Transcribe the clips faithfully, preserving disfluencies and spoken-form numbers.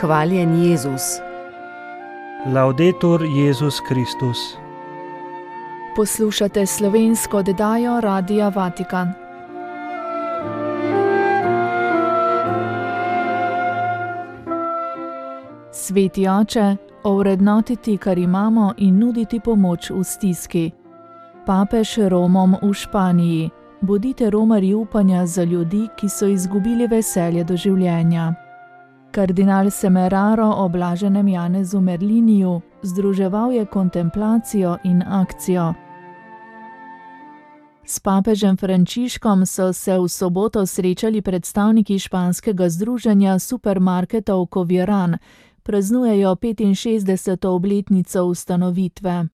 Hvaljen Jezus. Laudetur Jezus Kristus. Poslušate slovensko oddajo Radia Vatikan. Sveti oče, ovrednotiti, kar imamo, in nuditi pomoč v stiski. Papež Romom v Španiji. Bodite romarji upanja za ljudi, ki so izgubili veselje do življenja. Kardinal Semeraro o blaženem Janezu Merliniju združeval je kontemplacijo in akcijo. S papežem Frančiškom so se v soboto srečali predstavniki španskega združenja supermarketov Covirán, praznujejo petinšestdeseto obletnico ustanovitve.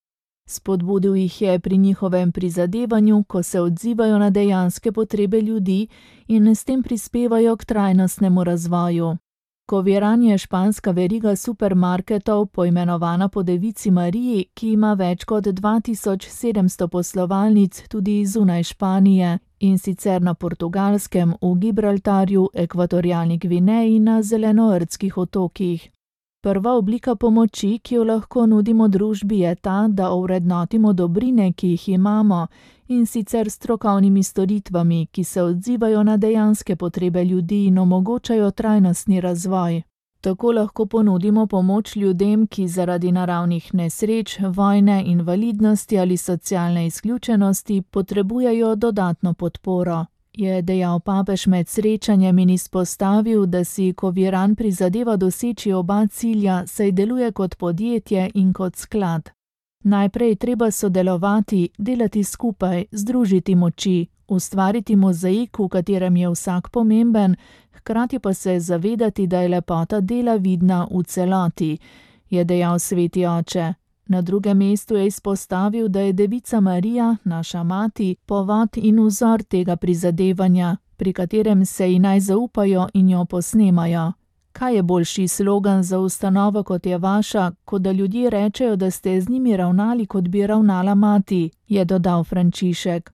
Spodbudil jih je pri njihovem prizadevanju, ko se odzivajo na dejanske potrebe ljudi in s tem prispevajo k trajnostnemu razvoju. Covirán je španska veriga supermarketov, poimenovana po devici Mariji, ki ima več kot dva tisoč sedemsto poslovalnic tudi zunaj Španije, in sicer na Portugalskem, v Gibraltarju, Ekvatorialni Gvineji in na Zelenordskih otokih. Prva oblika pomoči, ki jo lahko nudimo družbi, je ta, da ovrednotimo dobrine, ki jih imamo, in sicer strokovnimi storitvami, ki se odzivajo na dejanske potrebe ljudi in omogočajo trajnostni razvoj. Tako lahko ponudimo pomoč ljudem, ki zaradi naravnih nesreč, vojne, invalidnosti ali socialne izključenosti potrebujejo dodatno podporo, je dejal papež med srečanjem in izpostavil, da si Covirán prizadeva doseči oba cilja, saj deluje kot podjetje in kot sklad. Najprej treba sodelovati, delati skupaj, združiti moči, ustvariti mozaik, v katerem je vsak pomemben, hkrati pa se zavedati, da je lepota dela vidna v celoti, je dejal sveti oče. Na drugem mestu je izpostavil, da je devica Marija, naša mati, povod in vzor tega prizadevanja, pri katerem se ji naj zaupajo in jo posnemajo. Kaj je boljši slogan za ustanovo, kot je vaša, kot da ljudje rečejo, da ste z njimi ravnali, kot bi ravnala mati, je dodal Frančišek.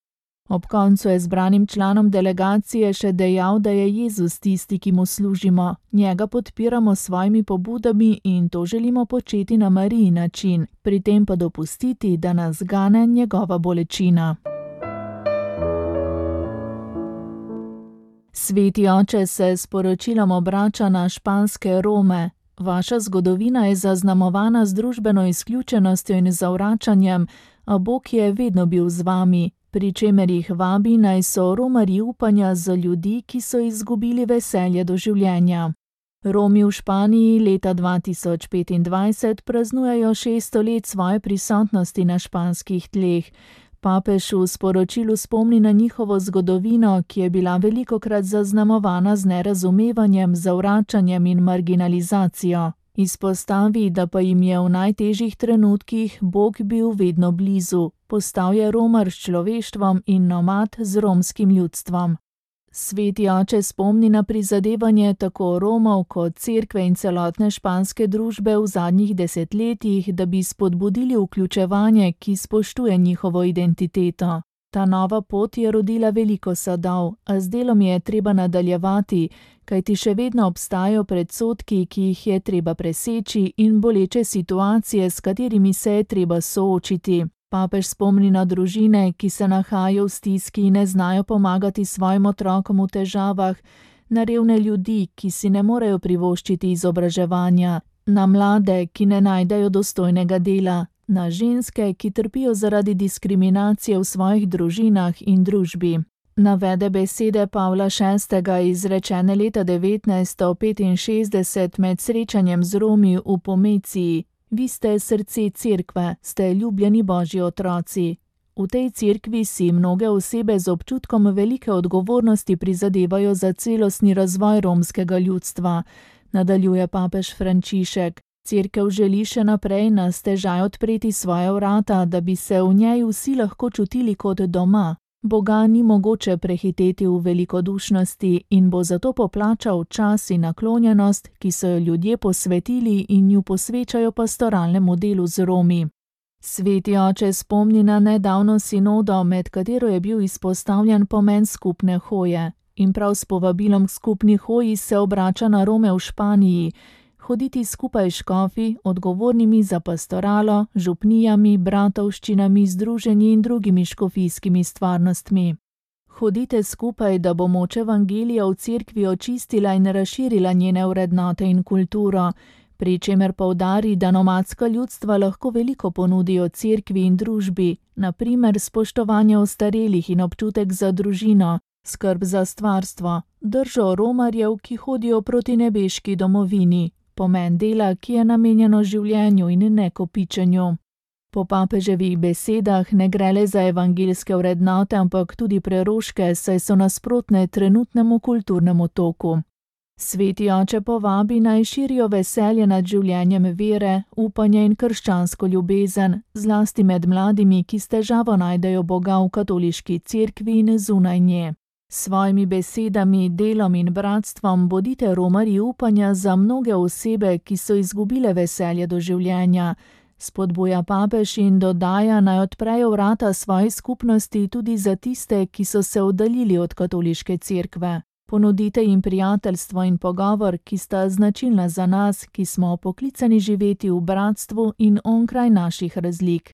Ob koncu je zbranim članom delegacije še dejal, da je Jezus tisti, ki mu služimo, njega podpiramo s svojimi pobudami in to želimo početi na Mariji način, pri tem pa dopustiti, da nas gane njegova bolečina. Sveti oče se s poročilom obrača na španske Rome. Vaša zgodovina je zaznamovana z družbeno izključenostjo in zavračanjem, a Bog je vedno bil z vami, pri čemer jih vabi, naj so romarji upanja za ljudi, ki so izgubili veselje do življenja. Romi v Španiji leta dva tisoč petindvajset praznujejo šeststo let svoje prisotnosti na španskih tleh. Papež v sporočilu spomni na njihovo zgodovino, ki je bila velikokrat zaznamovana z nerazumevanjem, zavračanjem in marginalizacijo. Izpostavi, da pa jim je v najtežjih trenutkih Bog bil vedno blizu, postal je romar s človeštvom in nomad z romskim ljudstvom. Sveti oče spomni na prizadevanje tako Romov kot cerkve in celotne španske družbe v zadnjih desetletjih, da bi spodbudili vključevanje, ki spoštuje njihovo identiteto. Ta nova pot je rodila veliko sadov, a z delom je treba nadaljevati, kajti še vedno obstajajo predsodki, ki jih je treba preseči, in boleče situacije, s katerimi se je treba soočiti. Papež spomni na družine, ki se nahajajo v stiski in ne znajo pomagati svojim otrokom v težavah, na revne ljudi, ki si ne morejo privoščiti izobraževanja, na mlade, ki ne najdejo dostojnega dela, na ženske, ki trpijo zaradi diskriminacije v svojih družinah in družbi. Navede besede Pavla šestega izrečene leta devetnajststo petinšestdeset med srečanjem z Romi v Pomeciji. Vi ste srce cerkve, ste ljubljeni Božji otroci. V tej cerkvi si mnoge osebe z občutkom velike odgovornosti prizadevajo za celostni razvoj romskega ljudstva, nadaljuje papež Frančišek. Cerkev želi še naprej na stežaj odpreti svoja vrata, da bi se v njej vsi lahko čutili kot doma. Boga ni mogoče prehiteti v velikodušnosti in bo zato poplačal čas in naklonjenost, ki so jo ljudje posvetili in ju posvečajo pastoralnemu delu z Romi. Sveti oče spomni na nedavno sinodo, med katero je bil izpostavljen pomen skupne hoje. In prav s povabilom k skupni hoji se obrača na Rome v Španiji. hoditi skupaj s škofi, odgovornimi za pastoralo, župnijami, bratovščinami, združenji in drugimi škofijskimi stvarnostmi. Hodite skupaj, da bo moč evangelija v cerkvi očistila in razširila njene vrednote in kulturo, pri čemer poudari, da nomadska ljudstva lahko veliko ponudijo cerkvi in družbi, na primer spoštovanje ostarelih in občutek za družino, skrb za stvarstvo, držo romarjev, ki hodijo proti nebeški domovini, pomen dela, ki je namenjeno življenju in ne kopičenju. Po papeževih besedah ne gre le za evangeljske vrednote, ampak tudi preroške, saj so nasprotne trenutnemu kulturnemu toku. Sveti oče povabi naj širijo veselje nad življenjem vere, upanje in krščansko ljubezen, zlasti med mladimi, ki s težavo najdejo Boga v katoliški cerkvi in zunaj nje. S svojimi besedami, delom in bratstvom bodite romarji upanja za mnoge osebe, ki so izgubile veselje do življenja. Spodbuja papež in dodaja, naj odprejo vrata svoji skupnosti tudi za tiste, ki so se oddaljili od katoliške cerkve. Ponudite jim prijateljstvo in pogovor, ki sta značilna za nas, ki smo poklicani živeti v bratstvu in onkraj naših razlik.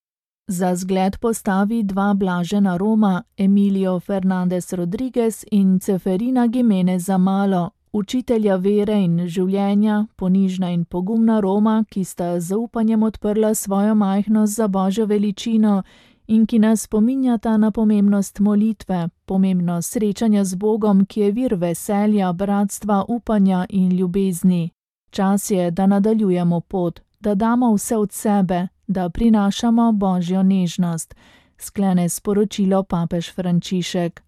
Za zgled postavi dva blažena Roma, Emilio Fernandez Rodriguez in Ceferina Jimenez Amalo, učitelja vere in življenja, ponižna in pogumna Roma, ki sta z zaupanjem odprla svojo majhnost za Božjo veličino in ki nas spominjata na pomembnost molitve, pomembnost srečanja z Bogom, ki je vir veselja, bratstva, upanja in ljubezni. Čas je, da nadaljujemo pot, da damo vse od sebe, da prinašamo Božjo nežnost, sklene sporočilo papež Frančišek.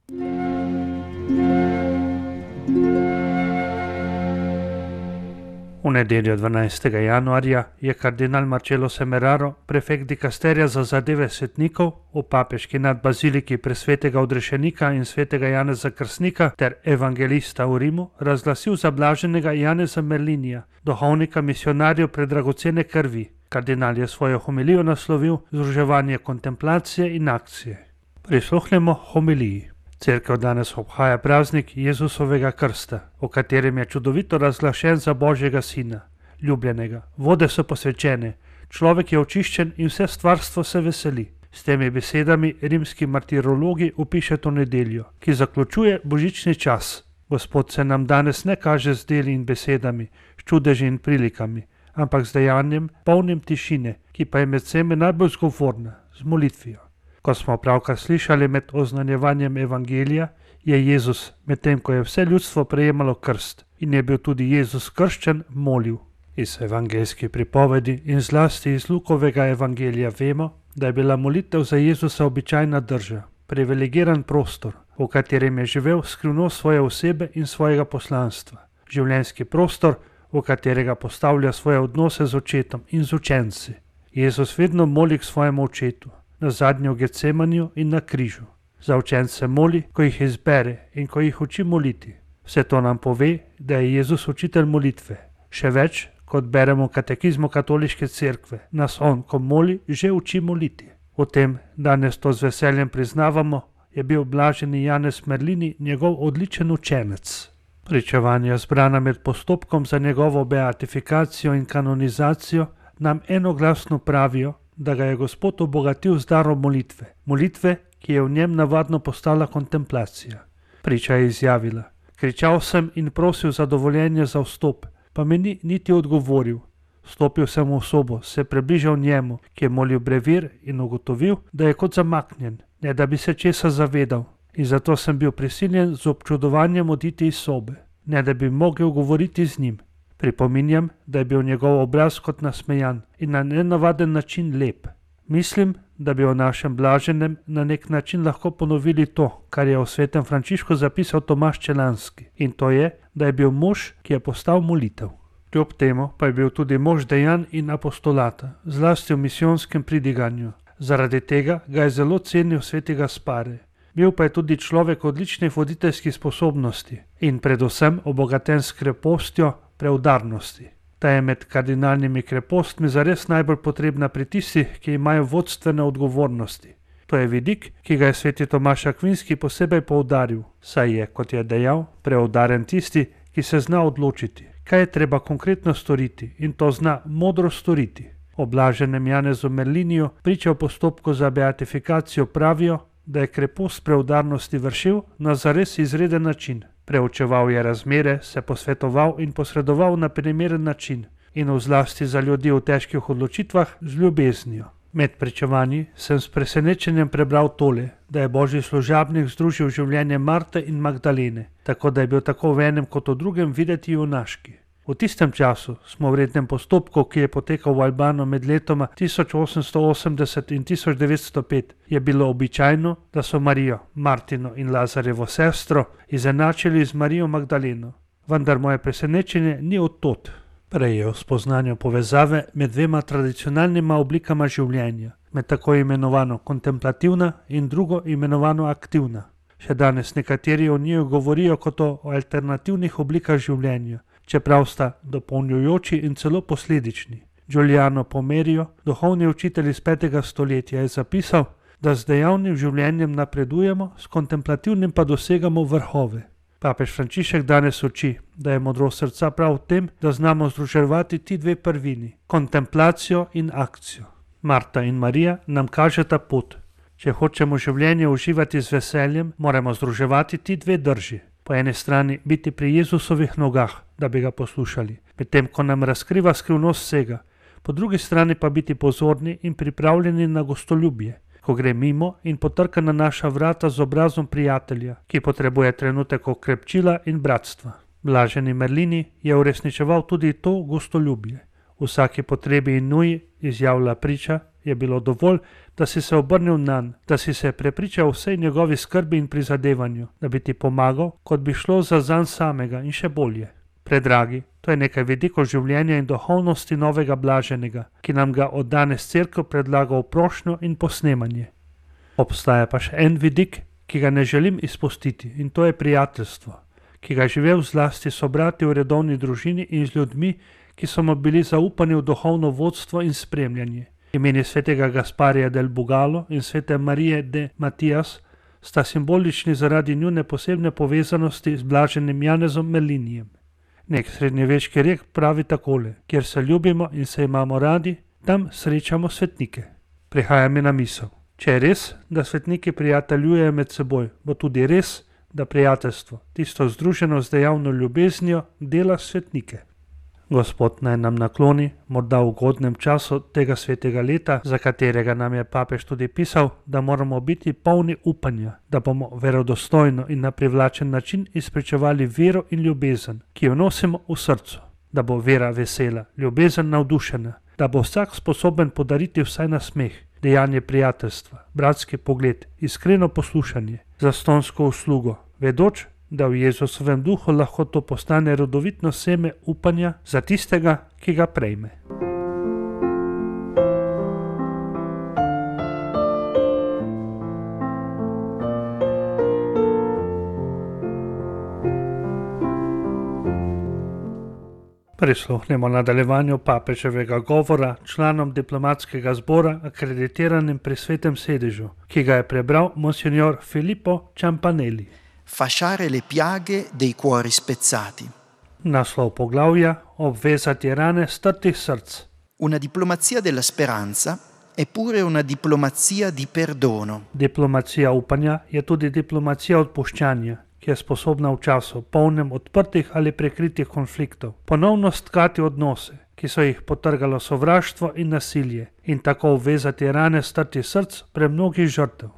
V nedeljo dvanajstega januarja je kardinal Marcello Semeraro, prefekt dikasterija za zadeve svetnikov, v papeški nadbaziliki presvetega odrešenika in svetega Janeza Krstnika ter evangelista v Rimu razglasil za blaženega Janeza Merlinija, duhovnika misionarjev predragocene krvi. Kardinal je svojo homilijo naslovil Združevanje kontemplacije in akcije. Prisluhnemo homiliji. Cerkev danes obhaja praznik Jezusovega krsta, v katerem je čudovito razglašen za Božjega sina, ljubljenega. Vode so posvečene, človek je očiščen in vse stvarstvo se veseli. S temi besedami rimski martirologi opiše to nedeljo, ki zaključuje božični čas. Gospod se nam danes ne kaže z deli in besedami, s čudeži in prilikami, ampak z dejanjem, polnim tišine, ki pa je med vsemi najbolj zgovorna, z molitvijo. Ko smo pravkar slišali med oznanjevanjem evangelija, je Jezus, medtem ko je vse ljudstvo prejemalo krst in je bil tudi Jezus krščen, molil. Iz evangeljske pripovedi in zlasti iz Lukovega evangelija vemo, da je bila molitev za Jezusa običajna drža, privilegiran prostor, v katerem je živel skrivnost svoje osebe in svojega poslanstva. Življenjski prostor, v katerega postavlja svoje odnose z očetom in z učenci. Jezus vedno moli k svojemu očetu, na zadnje v Getsemaniju in na križu. Za učence moli, ko jih izbere in ko jih uči moliti. Vse to nam pove, da je Jezus učitelj molitve. Še več, kot beremo v katekizmu katoliške cerkve, nas on, ko moli, že uči moliti. O tem danes to z veseljem priznavamo, je bil blaženi Janez Merlini njegov odličen učenec. Pričevanja zbrana med postopkom za njegovo beatifikacijo in kanonizacijo nam enoglasno pravijo, da ga je Gospod obogatil z darom molitve, molitve, ki je v njem navadno postala kontemplacija. Priča je izjavila: kričal sem in prosil za dovoljenje za vstop, pa mi ni niti odgovoril. Stopil sem v sobo, se približal njemu, ki je molil brevir, in ugotovil, da je kot zamaknjen, ne da bi se česa zavedal, in zato sem bil prisiljen z občudovanjem oditi iz sobe, ne da bi mogel govoriti z njim. Pripominjam, da je bil njegov obraz kot nasmejan in na nenavaden način lep. Mislim, da bi o našem blaženem na nek način lahko ponovili to, kar je o svetem Frančišku zapisal Tomaž Čelanski, in to je, da je bil mož, ki je postal molitev. Kljub temu pa je bil tudi mož dejanj in apostolata, zlasti v misijonskem pridiganju. Zaradi tega ga je zelo cenil sveti Gaspare. Bil pa je tudi človek odličnih voditeljskih sposobnosti in predvsem obogaten s krepostjo, preudarnosti. Ta je med kardinalnimi krepostmi zares najbolj potrebna pri tistih, ki imajo vodstvene odgovornosti. To je vidik, ki ga je sveti Tomaž Akvinski posebej poudaril, saj je, kot je dejal, preudaren tisti, ki se zna odločiti, kaj je treba konkretno storiti in to zna modro storiti. O blaženem Janezu Merliniju priča o postopku za beatifikacijo pravijo, da je krepost preudarnosti vršil na zares izreden način. Preučeval je razmere, se posvetoval in posredoval na primeren način in v zlasti za ljudi v težkih odločitvah z ljubeznijo. Med pričevanji sem s presenečenjem prebral tole, da je božji služabnik združil življenje Marte in Magdalene, tako da je bil tako v enem kot v drugem videti junaški. V tistem času smo v rednem postopku, ki je potekal v Albano med letoma tisoč osemsto osemdeset in tisoč devetsto pet, je bilo običajno, da so Marijo, Martino in Lazarjevo sestro izenačili z Marijo Magdaleno. Vendar moje presenečenje ni od tod. Prej je v spoznanju povezave med dvema tradicionalnima oblikama življenja, med tako imenovano kontemplativna in drugo imenovano aktivna. Še danes nekateri o njiju govorijo kot o alternativnih oblikah življenja, čeprav sta dopolnjujoči in celo posledični. Giuliano Pomerijo, duhovni učitelj iz petega stoletja, je zapisal, da z dejavnim življenjem napredujemo, s kontemplativnim pa dosegamo vrhove. Papež Frančišek danes uči, da je modrost srca prav v tem, da znamo združevati ti dve prvini, kontemplacijo in akcijo. Marta in Marija nam kažeta pot. Če hočemo življenje uživati z veseljem, moramo združevati ti dve drži. Po eni strani biti pri Jezusovih nogah, da bi ga poslušali, medtem ko nam razkriva skrivnost vsega, po drugi strani pa biti pozorni in pripravljeni na gostoljubje, ko gre mimo in potrka na naša vrata z obrazom prijatelja, ki potrebuje trenutek okrepčila in bratstva. Blaženi Merlini je uresničeval tudi to gostoljubje. V vsaki potrebi in nuji, izjavlja priča, je bilo dovolj, da si se obrnil nanj, da si se prepričal vsej njegovi skrbi in prizadevanju, da bi ti pomagal, kot bi šlo za zanj samega in še bolje. Predragi, to je nekaj vidikov življenja in duhovnosti novega blaženega, ki nam ga od danes cerkev predlaga v prošnjo in posnemanje. Obstaja pa še en vidik, ki ga ne želim izpustiti, in to je prijateljstvo, ki ga je živel zlasti sobrati v redovni družini in z ljudmi, ki so mu bili zaupani v duhovno vodstvo in spremljanje. Imeni svetega Gasparija del Bugalo in svete Marije de Matijas sta simbolični zaradi njune posebne povezanosti z blaženim Janezom Merlinijem. Nek srednjeveški rek pravi takole: kjer se ljubimo in se imamo radi, tam srečamo svetnike. Prihaja mi na misel, če je res, da svetniki prijateljujejo med seboj, bo tudi res, da prijateljstvo, tisto združeno z dejavno ljubeznijo, dela svetnike. Gospod naj nam nakloni, morda v ugodnem času tega svetega leta, za katerega nam je papež tudi pisal, da moramo biti polni upanja, da bomo verodostojno in na privlačen način izpričevali vero in ljubezen, ki jo nosimo v srcu, da bo vera vesela, ljubezen navdušena, da bo vsak sposoben podariti vsaj nasmeh, dejanje prijateljstva, bratski pogled, iskreno poslušanje, zastonsko uslugo, vedoč, da v Jezusovem duhu lahko to postane rodovitno seme upanja za tistega, ki ga prejme. Prisluhnemo nadaljevanju papeževega govora članom diplomatskega zbora akreditiranim pri svetem sedežu, ki ga je prebral monsignor Filippo Ciampanelli. Fasciare le piaghe dei cuori spezzati. Naslov poglavja: obvezati rane strtih src. Una diplomazia della speranza è pure una diplomazia di perdono. Diplomacija upanja je tudi diplomacija odpuščanja, ki je sposobna v času polnem odprtih ali prekritih konfliktov ponovno stkati odnose, ki so jih potrgalo sovraštvo in nasilje, in tako obvezati rane strtih src premnogih žrtev.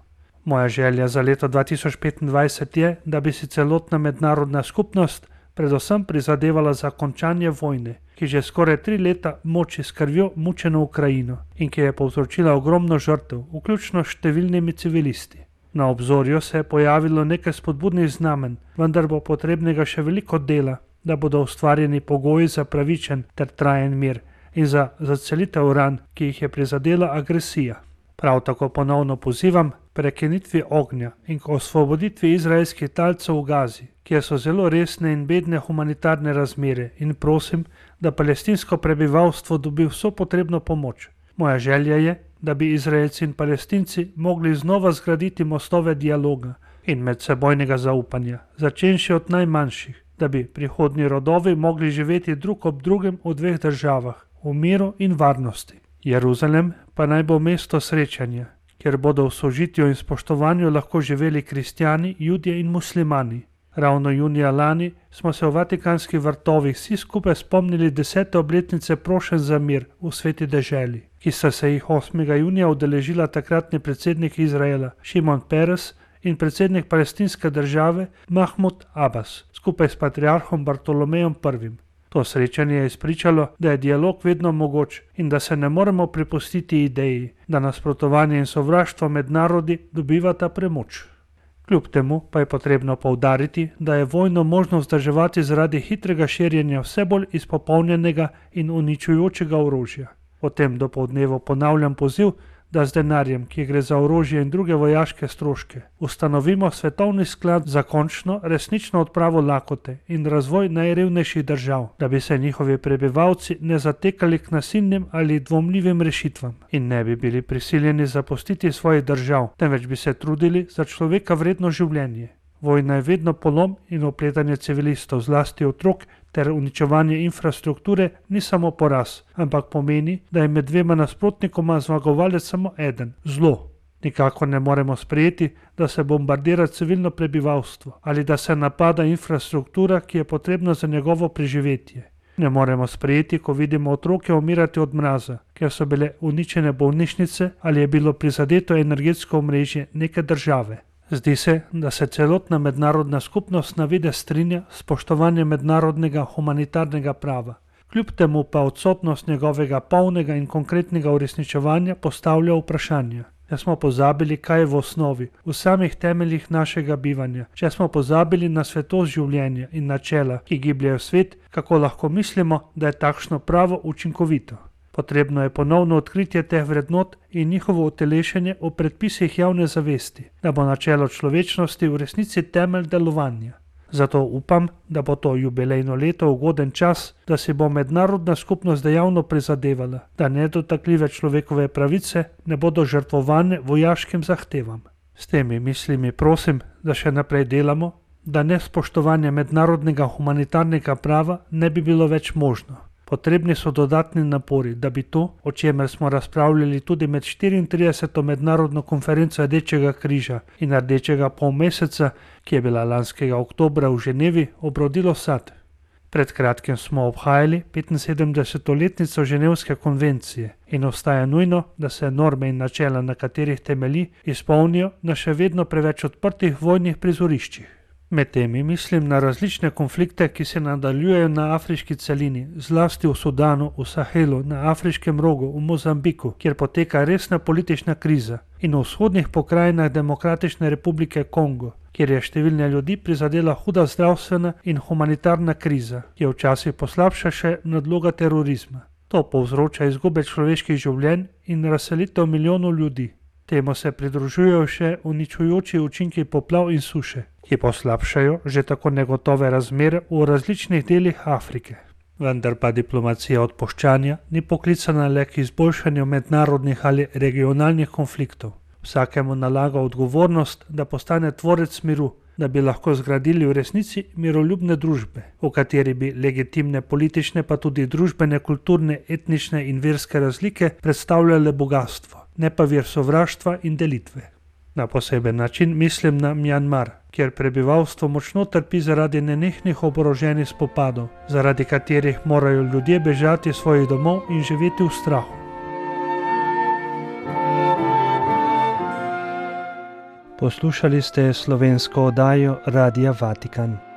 Moja želja za leto dva tisoč petindvajset je, da bi si celotna mednarodna skupnost predvsem prizadevala za končanje vojne, ki že skoraj tri leta moči s krvjo mučeno Ukrajino in ki je povzročila ogromno žrtev, vključno s številnimi civilisti. Na obzorju se je pojavilo nekaj spodbudnih znamen, vendar bo potrebnega še veliko dela, da bodo ustvarjeni pogoji za pravičen ter trajen mir in za zacelitev ran, ki jih je prizadela agresija. Prav tako ponovno pozivam prekinitvi ognja in k osvoboditvi izraelskih talcev v Gazi, kjer so zelo resne in bedne humanitarne razmere, in prosim, da palestinsko prebivalstvo dobi vso potrebno pomoč. Moja želja je, da bi Izraelci in Palestinci mogli znova zgraditi mostove dialoga in medsebojnega zaupanja, začenši od najmanjših, da bi prihodnji rodovi mogli živeti drug ob drugem v dveh državah, v miru in varnosti. Jeruzalem pa naj bo mesto srečanja, kjer bodo v sožitju in spoštovanju lahko živeli kristjani, judje in muslimani. Ravno junija lani smo se v Vatikanskih vrtovih vsi skupaj spomnili desete obletnice prošenj za mir v sveti deželi, ki sta se jih osmega junija udeležila takratni predsednik Izraela Šimon Peres in predsednik palestinske države Mahmud Abbas skupaj s patriarhom Bartolomejem prvim. To srečanje je izpričalo, da je dialog vedno mogoč in da se ne moremo prepustiti ideji, da nasprotovanje in sovraštvo med narodi dobivata premoč. Kljub temu pa je potrebno poudariti, da je vojno možno vzdrževati zaradi hitrega širjenja vse bolj izpopolnjenega in uničujočega orožja. O tem dopoldnevu ponavljam poziv, da z denarjem, ki gre za orožje in druge vojaške stroške, ustanovimo svetovni sklad za končno, resnično odpravo lakote in razvoj najrevnejših držav, da bi se njihovi prebivalci ne zatekali k nasilnim ali dvomljivim rešitvam in ne bi bili prisiljeni zapustiti svojih držav, temveč bi se trudili za človeka vredno življenje. Vojna je vedno polom in opletanje civilistov, zlasti otrok, ter uničevanje infrastrukture ni samo poraz, ampak pomeni, da je med dvema nasprotnikoma zmagovalec samo eden, zlo. Nikakor ne moremo sprejeti, da se bombardira civilno prebivalstvo ali da se napada infrastruktura, ki je potrebna za njegovo preživetje. Ne moremo sprejeti, ko vidimo otroke umirati od mraza, ker so bile uničene bolnišnice ali je bilo prizadeto energetsko omrežje neke države. Zdi se, da se celotna mednarodna skupnost na videz strinja s spoštovanjem mednarodnega humanitarnega prava. Kljub temu pa odsotnost njegovega polnega in konkretnega uresničevanja postavlja vprašanja. Če smo pozabili, kaj je v osnovi, v samih temeljih našega bivanja, če smo pozabili na svetost življenja in načela, ki gibljajo svet, kako lahko mislimo, da je takšno pravo učinkovito. Potrebno je ponovno odkritje teh vrednot in njihovo utelešenje v predpisih javne zavesti, da bo načelo človečnosti v resnici temelj delovanja. Zato upam, da bo to jubilejno leto ugoden čas, da si bo mednarodna skupnost dejavno prizadevala, da nedotakljive človekove pravice ne bodo žrtvovane vojaškim zahtevam. S temi mislimi prosim, da še naprej delamo, da nespoštovanje mednarodnega humanitarnega prava ne bi bilo več možno. Potrebni so dodatni napori, da bi to, o čemer smo razpravljali tudi med štiriintrideseto mednarodno konferenco Rdečega križa in Rdečega polmeseca, ki je bila lanskega oktobra v Ženevi, obrodilo sad. Pred kratkim smo obhajali petinsedemdeseto letnico Ženevske konvencije in ostaja nujno, da se norme in načela, na katerih temelji, izpolnijo na še vedno preveč odprtih vojnih prizoriščih. Med temi mislim na različne konflikte, ki se nadaljujejo na afriški celini, zlasti v Sudanu, v Sahelu, na afriškem rogu, v Mozambiku, kjer poteka resna politična kriza, in v vzhodnih pokrajinah Demokratične republike Kongo, kjer je številne ljudi prizadela huda zdravstvena in humanitarna kriza, ki je včasih poslabša še nadloga terorizma. To povzroča izgube človeških življenj in razselitev milijonov ljudi. Temu se pridružujejo še uničujoči učinki poplav in suše, ki poslabšajo že tako negotove razmere v različnih delih Afrike. Vendar pa diplomacija odpuščanja ni poklicana le k izboljšanju mednarodnih ali regionalnih konfliktov. Vsakemu nalaga odgovornost, da postane tvorec miru, da bi lahko zgradili v resnici miroljubne družbe, v kateri bi legitimne politične pa tudi družbene, kulturne, etnične in verske razlike predstavljale bogatstvo, ne pa vir sovraštva in delitve. Na poseben način mislim na Mjanmar, kjer prebivalstvo močno trpi zaradi nenehnih oboroženih spopadov, zaradi katerih morajo ljudje bežati svojih domov in živeti v strahu. Poslušali ste slovensko oddajo Radia Vatikan.